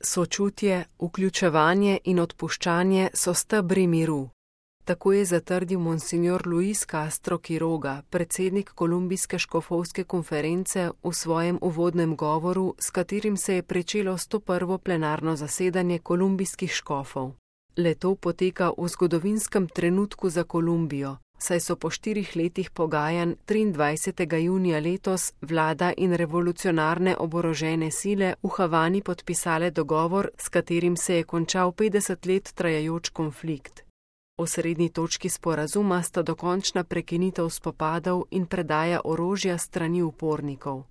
Sočutje, vključevanje in odpuščanje so stebri miru. Tako je zatrdil monsignor Luis Castro Quiroga, predsednik Kolumbijske škofovske konference, v svojem uvodnem govoru, s katerim se je pričelo 101. plenarno zasedanje kolumbijskih škofov. Le-to poteka v zgodovinskem trenutku za Kolumbijo, saj so po 4 letih pogajanj 23. junija letos vlada in revolucionarne oborožene sile v Havani podpisale dogovor, s katerim se je končal 50 let trajajoč konflikt. Osrednji točki sporazuma sta dokončna prekinitev spopadov in predaja orožja strani upornikov.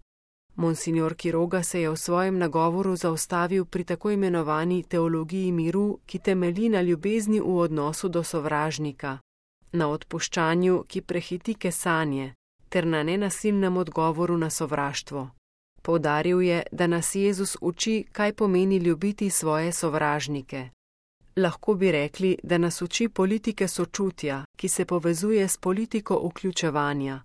Monsignor Quiroga se je v svojem nagovoru zaustavil pri tako imenovani teologiji miru, ki temelji na ljubezni v odnosu do sovražnika, na odpuščanju, ki prehiti kesanje, ter na nenasilnem odgovoru na sovraštvo. Poudaril je, da nas Jezus uči, kaj pomeni ljubiti svoje sovražnike. Lahko bi rekli, da nas uči politike sočutja, ki se povezuje s politiko vključevanja.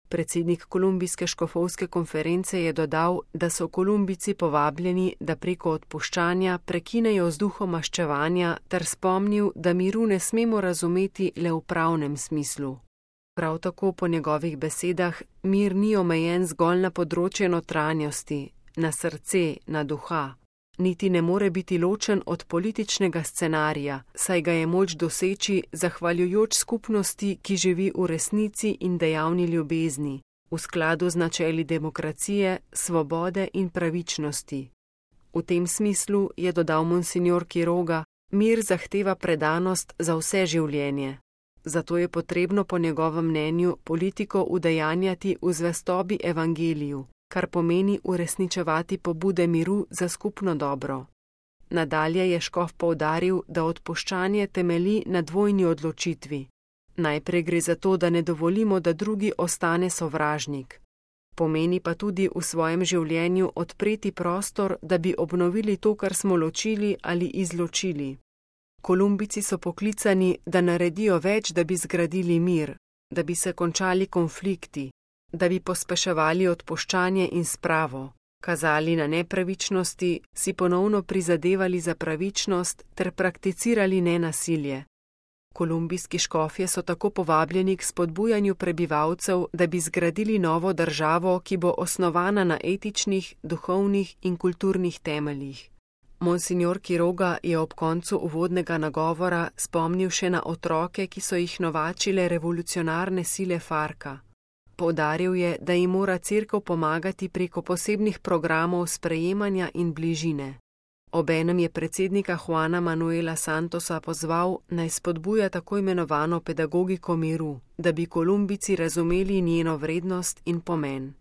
Predsednik Kolumbijske škofovske konference je dodal, da so Kolumbijci povabljeni, da preko odpuščanja prekinejo z duhom maščevanja, ter spomnil, da miru ne smemo razumeti le v pravnem smislu. Prav tako po njegovih besedah mir ni omejen zgolj na področje notranjosti, na srce, na duha. Niti ne more biti ločen od političnega scenarija, saj ga je moč doseči zahvaljujoč skupnosti, ki živi v resnici in dejavni ljubezni, v skladu z načeli demokracije, svobode in pravičnosti. V tem smislu, je dodal monsignor Quiroga, mir zahteva predanost za vse življenje. Zato je potrebno po njegovem mnenju politiko udejanjati v zvestobi evangeliju, kar pomeni uresničevati pobude miru za skupno dobro. Nadalje je škof poudaril, da odpuščanje temelji na dvojni odločitvi. Najprej gre za to, da ne dovolimo, da drugi ostane sovražnik. Pomeni pa tudi v svojem življenju odpreti prostor, da bi obnovili to, kar smo ločili ali izločili. Kolumbijci so poklicani, da naredijo več, da bi zgradili mir, da bi se končali konflikti, da bi pospeševali odpuščanje in spravo, kazali na nepravičnosti, si ponovno prizadevali za pravičnost ter prakticirali nenasilje. Kolumbijski škofje so tako povabljeni k spodbujanju prebivalcev, da bi zgradili novo državo, ki bo osnovana na etičnih, duhovnih in kulturnih temeljih. Monsignor Quiroga je ob koncu uvodnega nagovora spomnil še na otroke, ki so jih novačile revolucionarne sile Farca. Poudaril je, da jim mora cerkev pomagati preko posebnih programov sprejemanja in bližine. Obenem je predsednika Juana Manuela Santosa pozval, naj spodbuja tako imenovano pedagogiko miru, da bi Kolumbijci razumeli njeno vrednost in pomen.